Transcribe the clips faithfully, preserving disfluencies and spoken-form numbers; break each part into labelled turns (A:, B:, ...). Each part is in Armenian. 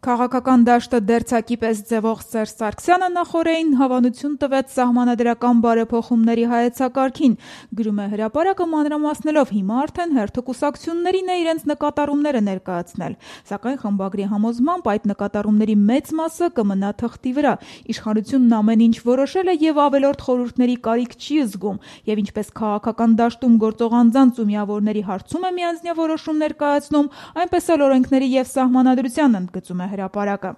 A: Քաղաքական դաշտը դերձակի պես ձևող Սերժ Սարգսյանը նախօրեին հավանություն տվեց սահմանադրական բարեփոխումների հայեցակարգին, գրում է Հրապարակը մանրամասնելով, հիմա արդեն հերթը կուսակցություններին է իրենց նկատառումները ներկայացնել, սակայն խմբագրի համոզմամբ այդ նկատառումների մեծ մասը կմնա թղթի վրա, իշխանությունն ամեն ինչ որոշել է եւ ավելորդ խորհուրդների կարիք չի զգում, եւ ինչպես քաղաքական դաշտում գործող անձանց ու միավորների հարցում է միանձնյա որոշումներ կայացնում, այնպես էլ օրենքների եւ սահմանադրության, ընդգծում է Հրապարակը։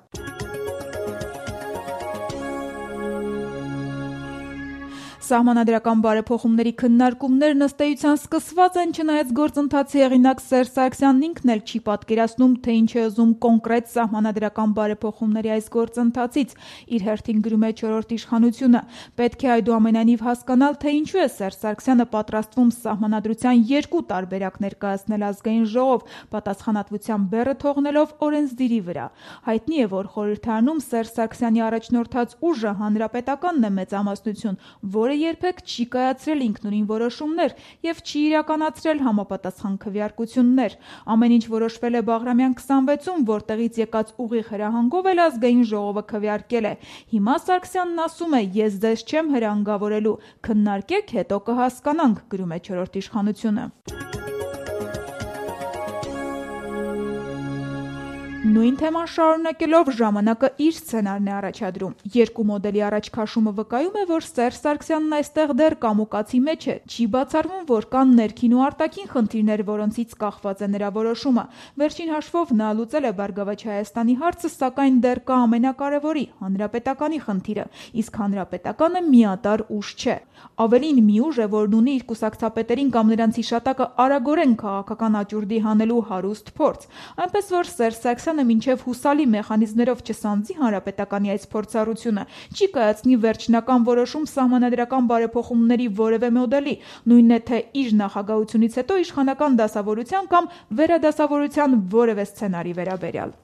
A: Սահմանադրական բարեփոխումների քննարկումներն ըստ էության սկսված են, չնայած գործընթացի հեղինակ Սերժ Սարգսյանն ինքն էլ չի պատկերացնում, թե ինչ է ուզում կոնկրետ սահմանադրական բարեփոխումների այս գործընթացից, իր հերթին գրում է չորրորդ իշխանությունը։ Պետք է այդուամենայնիվ հասկանալ, թե ինչու է Սերժ Սարգսյանը պատրաստվում սահմանադրության երկու տարբերակ ներկայացնել Ազգային ժողով, պատասխանատվության բեռը թողնելով օրենսդիրի վրա։ Հայտնի է, որ խորհրդարանում Սերժ Սարգսյանի առաջնորդած ուժը հանրապետականն է մեծամասնություն, որը երբեք չի կայացրել ինքնուրույն որոշումներ եւ չի իրականացրել համապատասխան քվեարկություններ։ Ամեն ինչ որոշվել է Բաղրամյան քսանվեցում, որտեղից եկած ուղիղ հրահանգով էլ Ազգային ժողովը քվեարկել է։ Հիմա Սարգսյանն ասում է՝ ես ձեզ չեմ հրահանգավորելու, քննարկեք, հետո կհասկանանք, գրում է չորրորդ իշխանությունը։ Նույն թեման շարունակելով ժամանակը իր սցենարն է առաջադրում։ Երկու մոդելի առաջ քաշումը վկայում է, որ Սերժ Սարգսյանն այստեղ դեռ կամուկացի մեջ է։ Չի բացառվում, որ կան ներքին ու արտաքին խնդիրներ, որոնցից կախված է նրա որոշումը։ Վերջին հաշվով նա լուծել է Բարգավաճ Հայաստանի հարցը, սակայն դեռ կա ամենակարևորի՝ հանրապետականի խնդիրը, իսկ հանրապետականը միատար ուժ չէ։ Ավելին, մի ուժ է, որն ունի իր կուսակցապետերին կամ նրանց հիշատակը արագորեն քաղաքական աճուրդի հանելու հարուստ փորձ։ Այնպես որ Սերժ Սարգսյանը մինչև հուսալի մեխանիզմներով չսանձի հանրապետականի այս փորձառությունը, չի կայացնի վերջնական որոշում սահմանադրական բարեփոխումների որևէ մոդելի, նույնն է թե իր նախագահությունից հետո իշխանական դասավորության կամ վերադասավորության որևէ սցենարի վերաբերյալ։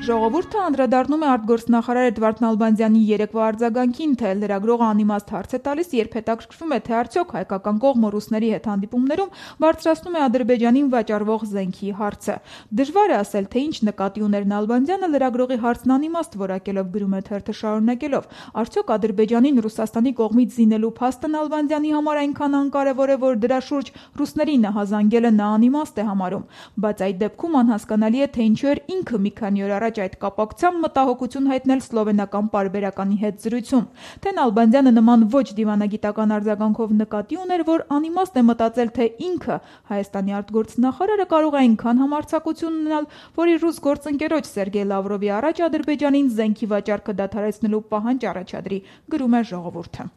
A: Ժողովուրդը անդրադառնում է արտգործնախարար Էդվարդ Նալբանդյանի երեկվա արձագանքին, թե լրագրողը անիմաստ հարց է տալիս, երբ հետաքրքրվում է, թե արդյոք հայկական կողմը ռուսների հետ հանդիպումներում բարձրացնում է Ադրբեջանին վաճառվող զենքի հարցը։ Դժվար է ասել, թե ինչ նկատի ուներ Նալբանդյանը լրագրողի հարցն անիմաստ որակելով, գրում է թերթը շարունակելով։ Արդյոք Ադրբեջանին Ռուսաստանի կողմից զինելու փաստը Նալբանդյանի համար այնքան անկարևոր է, որ դրա շուրջ ռուսներին նահազանգելը նա անիմաստ է համարում։ Բայց այդ դեպքում անհասկանալի է, թե ինչու էր ինքը մի քանի օր առաջ այդ կապակցությամբ մտահոգություն հայտնել սլովենական պարբերականի հետ զրույցում, թե Նալբանդյանը նման ոչ դիվանագիտական արձագանքով նկատի ուներ, որ անիմաստ է մտածել, թե ինքը Հայաստանի արտգործնախարարը կարող է այնքան համարձակություն ունենալ, որ իր ռուս գործընկերոջ Սերգեյ Լավրովի առաջ Ադրբեջանին զենքի վաճառքը դադարեցնելու պահանջ առաջադրի, գրում է Ժողովուրդը։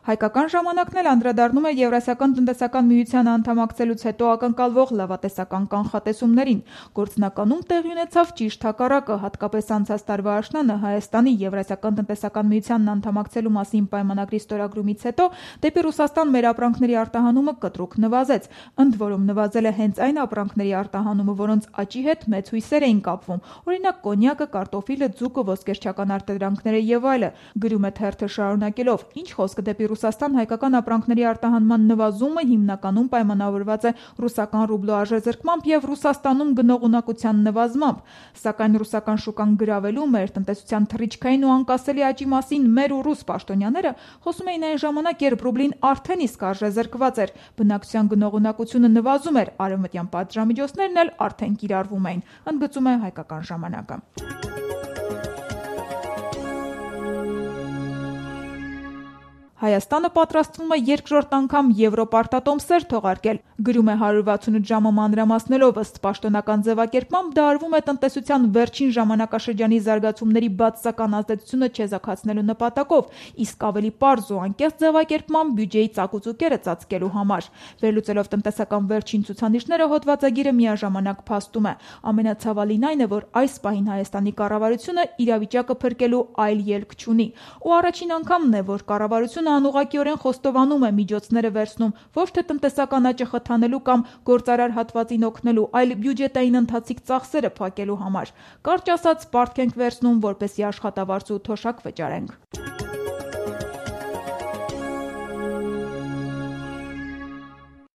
A: Հայկական ժամանակն էլ անդրադառնում է Եվրասիական տնտեսական միությանը անդամակցելուց հետո ակնկալվող լավատեսական կանխատեսումներին։ Գործնականում տեղի ունեցավ ճիշտ հակառակը, հատկապես անցած տարվա աշնանը Հայաստանի Եվրասիական տնտեսական միությանն անդամակցելու մասին պայմանագրի ստորագրումից հետո դեպի Ռուսաստան մեր ապրանքների արտահանումը կտրուկ նվազեց։ Ընդ որում նվազել է հենց այն ապրանքների արտահանումը, որոնց աճի հետ մեծ հույսեր էին կապվում, օրինակ կոնյակը, կարտոֆիլը, ձուկը, ոսկերչական արտադրանքները եւ այլը, գրում է թերթը շարունակելով։ Ինչ խոսքը դեպի Ռուսաստան հայկական ապրանքների արտահանման նվազումը հիմնականում պայմանավորված է ռուսական ռուբլու արժեզրկմամբ եւ Ռուսաստանում գնողունակության նվազմամբ, սակայն ռուսական շուկան գրավելու մեր տնտեսության թռիչքային ու անկասելի աճի մասին մեր ու ռուս պաշտոնյաները խոսում էին այն ժամանակ, երբ ռուբլին արդեն իսկ արժեզրկված էր, բնակչության գնողունակությունը նվազում էր, արևմտյան պատժամիջոցներն էլ արդեն կիրառվում էին, ընդգծում է Հայկական ժամանակը։ Հայաստանը պատրաստվում է երկրորդ անգամ եվրոպարտատոմսեր թողարկել, գրում է հարյուր վաթսունութ ժամը մանրամասնելով, ըստ պաշտոնական ձևակերպմամբ դա արվում է տնտեսության վերջին ժամանակաշրջանի զարգացումների բացասական ազդեցությունը չեզոքացնելու նպատակով, իսկ ավելի պարզ ու անկեղծ ձևակերպմամբ բյուջեի ծակուցուկերը ծածկելու համար։ Վերլուծելով տնտեսական վերջին ցուցանիշները հոդվածագիրը միաժամանակ փաստում է։ Ամենացավալին այն է, որ այս պահին Հայաստանի կառավարությունը իրավիճակը փրկելու այլ ելք չունի, ու առաջին անգամն է, որ կառավարությունը անուղղակիորեն խոստովանում է միջոցները վերցնում ոչ թե տնտեսական աճը խթանելու կամ գործարար հատվածին օգնելու, այլ բյուջետային ընթացիկ ծախսերը փակելու համար։ Կարճ ասած, պարտք ենք վերցնում, որպեսզի աշխատավարձ ու թոշակ վճարենք։